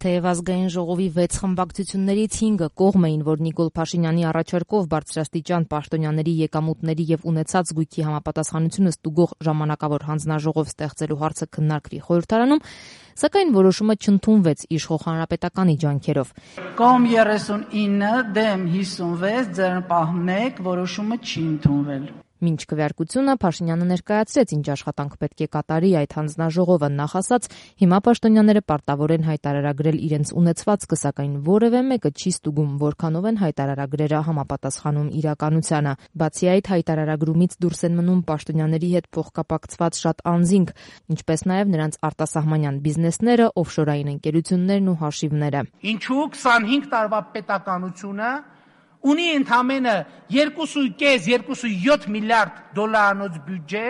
Թեև ազգային ժողովի 6 խմբակցություններից 5-ը կողմ էին, որ Նիկոլ Փաշինյանի առաջարկով բարձրաստիճան պաշտոնյաների եկամուտների եւ ունեցած գույքի համապատասխանությունը ստուգող ժամանակավոր հանձնաժողով ստեղծելու հարցը քննարկվի խորհրդարանում, սակայն որոշումը չընդունվեց իշխող հանրապետականի ջանքերով։ Կողմ 39, դեմ 56, ձեռնպահ 1, որոշումը չի ընդունվել։ Մինչ քվեարկությունը Փաշինյանը ներկայացրեց, ինչ աշխատանք պետք է կատարի այդ հանձնաժողովը, նախ ասած, հիմա պաշտոնյաները պարտավոր են հայտարարագրել իրենց ունեցվածքը, սակայն որևէ մեկը չի ստուգում, որքանով են հայտարարագրերը համապատասխանում իրականությանը։ Բացի այդ, հայտարարագրումից դուրս են մնում պաշտոնյաների հետ փոխկապակցված շատ անձինք, ինչպես նաև նրանց արտասահմանյան բիզնեսները, օֆշորային ընկերություններն ու հաշիվները։ Ինչու 25 տարվա պետականությունը ունի ընդամենը 2.5-2.7 միլիարդ դոլարանոց բյուջե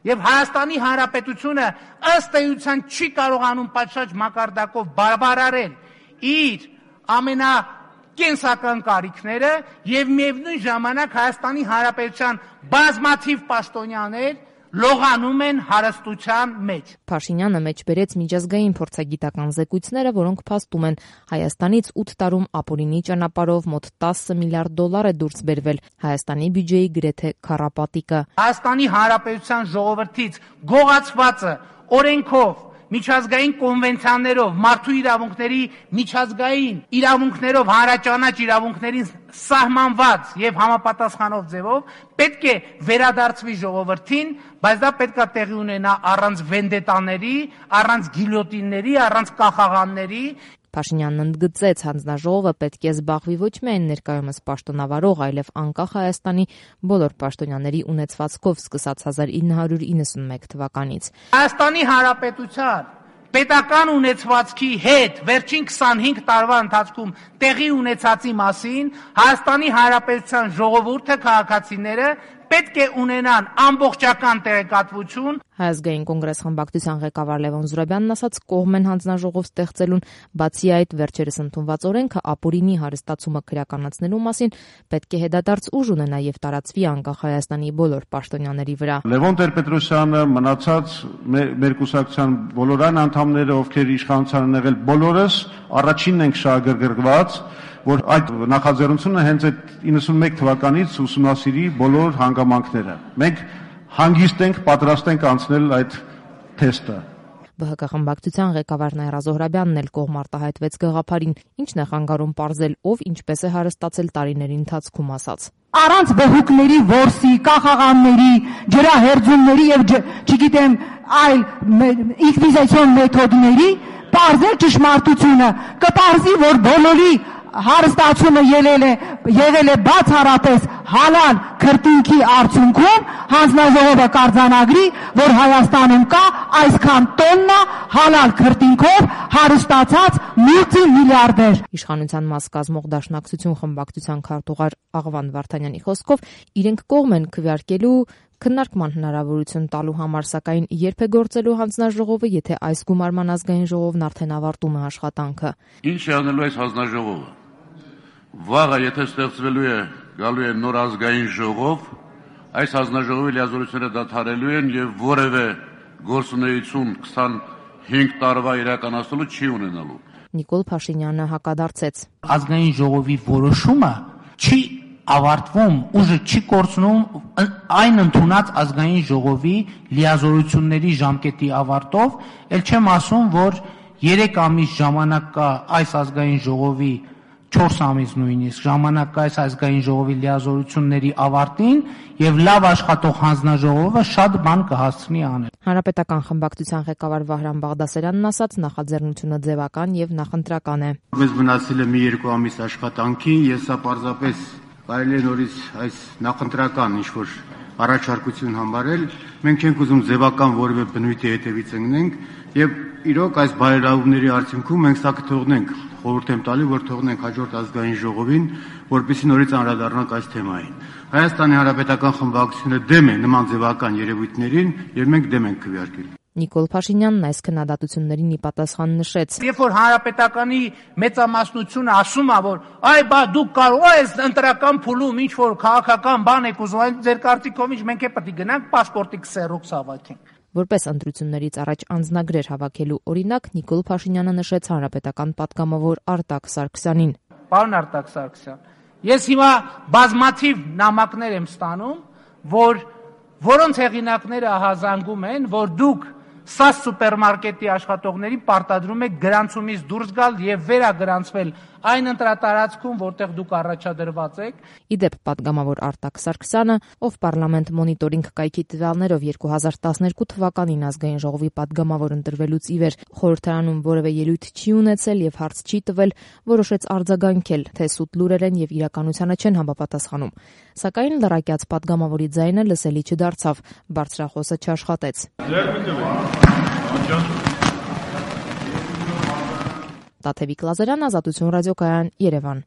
եւ Հայաստանի Հանրապետությունը ըստ էության չի կարողանում պատշաճ մակարդակով բավարարել իր ամենակենսական կարիքները եւ միևնույն ժամանակ Հայաստանի Հանրապետության բազմաթիվ պաշտոնյաներ լողանում են հարստության մեջ։ Փաշինյանը մեջբերեց միջազգային փորձագիտական զեկույցները, որոնք փաստում են Հայաստանից 8 տարում ապօրինի ճանապարհով մոտ 10 միլիարդ դոլար է դուրս բերվել, Հայաստանի բյուջեի գրեթե քառապատիկը։ Հայաստանի Հանրապետության ժողովրդից գողացվածը օրենքով միջազգային կոնվենցիաներով, մարդու իրավունքների միջազգային իրավունքներով, հանրաճանաչ իրավունքներին սահմանված եւ համապատասխանող ձևով պետք է վերադարձվի ժողովրդին, բայց դա պետք է տեղի ունենա առանց վենդետաների, առանց գիլյոտինների, առանց կախաղանների։ Փաշինյանն ընդգծեց, հանձնաժողովը պետք է զբաղվի ոչ միայն ներկայումս պաշտոնավարող, այլև անկախ Հայաստանի բոլոր պաշտոնյաների ունեցվածքով սկսած 1991 թվականից։ Հայաստանի Հանրապետության պետական ունեցվածքի հետ վերջին 25 տարվա ընթացքում տեղի ունեցածի մասին Հայաստանի Հանրապետության ժողովուրդը, քաղաքացիները պետք է ունենան ամբողջական տեղեկատվություն։ Հայազգային կոնգրես խմբակցության ղեկավար Լևոն Զուրաբյանն ասաց, կողմ են հանձնաժողով ստեղծելուն, բացի այդ վերջերս ընդունված օրենքը ապօրինի հարստացումը քրեականացնելու մասին պետք է հետադարձ ուժ ունենա եւ տարածվի անկախ Հայաստանի բոլոր պաշտոնյաների վրա։ Լևոն Տեր-Պետրոսյանը, մնացած մեր կուսակցության բոլոր այն անդամները, ովքեր իշխանության են եղել, բոլորս առաջինն ենք շահագրգռված, որ այդ նախաձեռնությունը հենց այդ 91 թվականից ուսումնասիրի բոլոր հանգամանքները։ Մենք հանգիստ ենք, պատրաստ ենք անցնել այդ թեստը։ ԲՀԿ խմբակցության ղեկավար Նաիրա Զոհրաբյանն էլ կողմ արտահայտվեց գաղափարին, ինչն է խանգարում պարզել, ով ինչպես է հարստացել տարիների ընթացքում ասաց։ Առանց բհուկների, որսի, կախաղանների, ջրահերձումների եւ չգիտեմ այլ ինկվիզիցիոն մեթոդների պարզել ճշմարտությունը, կպարզի, որ բոլորի հարստացումը եղել է բացառապես հալալ քրտինքի արդյունքում, հանձնաժողովը կարձանագրի, որ Հայաստանում կա այսքան տոննա հալալ քրտինքով հարստացած մուլտիմիլիարդեր։ Իշխանության մաս կազմող Դաշնակցություն խմբակցության քարտուղար Աղվան Վարդանյանի խոսքով իրենք կողմ են քվեարկելու քննարկման հնարավորություն տալու համար, սակայն երբ է գործելու հանձնաժողովը, եթե այս գումարման ազգային ժողովն արդեն ավարտում է աշխատանքը։ Ինչ է անելու այս հանձնաժողովը։ Վաղը եթե ստեղծվելու է, գալու է նոր ազգային ժողով, այս հանձնաժողովի լիազորությունները դադարելու են եւ որևէ գործունեություն 25 տարվա իրականացնելու չի ունենալու։ Նիկոլ Փաշինյանը հակադարձեց։ Ազգային ժողովի որոշումը չի ավարտվում, ուժը չի կորցնում այն ընդունած ազգային ժողովի լիազորությունների ժամկետի ավարտով, ել չեմ ասում, որ 3 ամիս ժամանակ կա այս ազգային ժողովի 4 ամիս նույնիսկ ժամանակ կա այս ազգային ժողովի լիազորությունների ավարտին եւ լավ աշխատող հանձնաժողովը շատ բան կհասցնի անել։ Հանրապետական խմբակցության ղեկավար Վահրամ Բաղդասարյանն ասաց, նախաձեռնությունը ձևական եւ նախընտրական է։ Մեզ մնացել է մի 2 ամիս աշխատանքի, ես սա պարզապես կարելի է նորից այս նախընտրական ինչ-որ առաջարկություն համարել, մենք չենք ուզում ձևական որևէ բնույթի հետևից ընկնենք եւ իրոք այս բարերարումների արդյունքում մենք սա կթողնենք, խորհուրդ եմ տալի, որ թողնենք հաջորդ ազգային ժողովին, որպեսզի նորից անդրադառնանք այս թեմային։ Հայաստանի Հանրապետական խմբակցությունը դեմ է նման ձևական երևույթներին եւ մենք դեմ ենք քվեարկել։ Նիկոլ Փաշինյանն այս քննադատություններին ի պատասխան նշեց. Երբ որ հանրապետականի մեծամասնությունը ասում է, որ այ բա դուք կարող եք ընտրական փուլում ինչ որ քաղաքական բան եք ուզում, այն ձեր կարծիքով ինչ մենք է պետք է գնանք պասպորտի քսերոքս հավաքենք։ Որպես ընտրություններից առաջ անձնագրեր հավաքելու օրինակ Նիկոլ Փաշինյանը նշեց հանրապետական պատգամավոր Արտակ Սարգսյանին. Պարոն Արտակ Սարգսյան, ես հիմա բազմաթիվ նամակներ եմ ստանում, որոնց հեղինակները հազանգում են, որ դուք ՍԱՍ սուպերմարկետի աշխատողների պարտադրում եք գրանցումից դուրս գալ եւ վերագրանցվել այն ընտրատարածքում, որտեղ դուք առաջադրված եք։ Իդեպ պատգամավոր Արտակ Սարգսյանը, ով պարլամենտ մոնիտորինգ կայքի տվյալներով 2012 թվականին ազգային ժողովի պատգամավոր ընտրվելուց ի վեր խորհրդարանում որևէ ելույթ չի ունեցել եւ հարց չի տվել, որոշեց արձագանքել, թե սուտ լուրեր են եւ իրականությանը չեն համապատասխանում։ Սակայն լրակյաց պատգամավորի ձայնը լսելի չդարձավ, բարձրախոսը չաշխատեց։ Տաթևիկ Լազարյան, Ազատություն ռադիոկայան, Երևան։